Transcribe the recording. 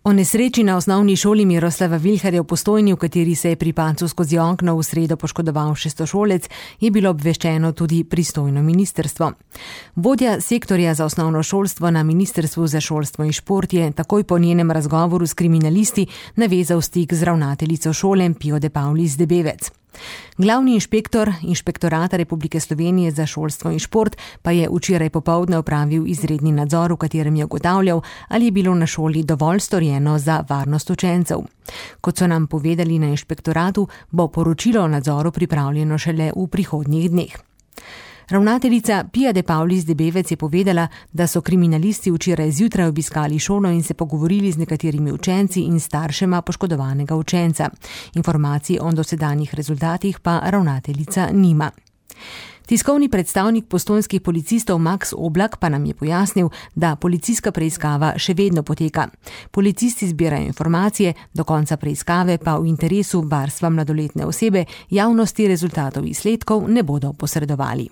O nesreči na osnovni šoli Miroslava Vilharja v Postojni, v kateri se je pri padcu skozi okno v sredo poškodoval šestošolec, je bilo obveščeno tudi pristojno ministrstvo. Vodja sektorja za osnovno šolstvo na Ministrstvu za šolstvo in šport je takoj po njenem razgovoru s kriminalisti navezal stik z ravnateljico šole Pijo de Paulis Debevec. Glavni inšpektor Inšpektorata Republike Slovenije za šolstvo in šport pa je včeraj popoldne opravil izredni nadzor, v katerem je ugotavljal, ali je bilo na šoli dovolj storjeno za varnost učencev. Kot so nam povedali na inšpektoratu, bo poročilo o nadzoru pripravljeno šele v prihodnjih dneh. Ravnateljica Pija de Paulis Debevec je povedala, da so kriminalisti včeraj zjutraj obiskali šolo in se pogovorili z nekaterimi učenci in staršema poškodovanega učenca. Informacij o dosedanjih rezultatih pa ravnateljica nima. Tiskovni predstavnik postojnskih policistov Max Oblak pa nam je pojasnil, da policijska preiskava še vedno poteka. Policisti zbirajo informacije, do konca preiskave pa v interesu varstva mladoletne osebe javnosti rezultatov izsledkov ne bodo posredovali.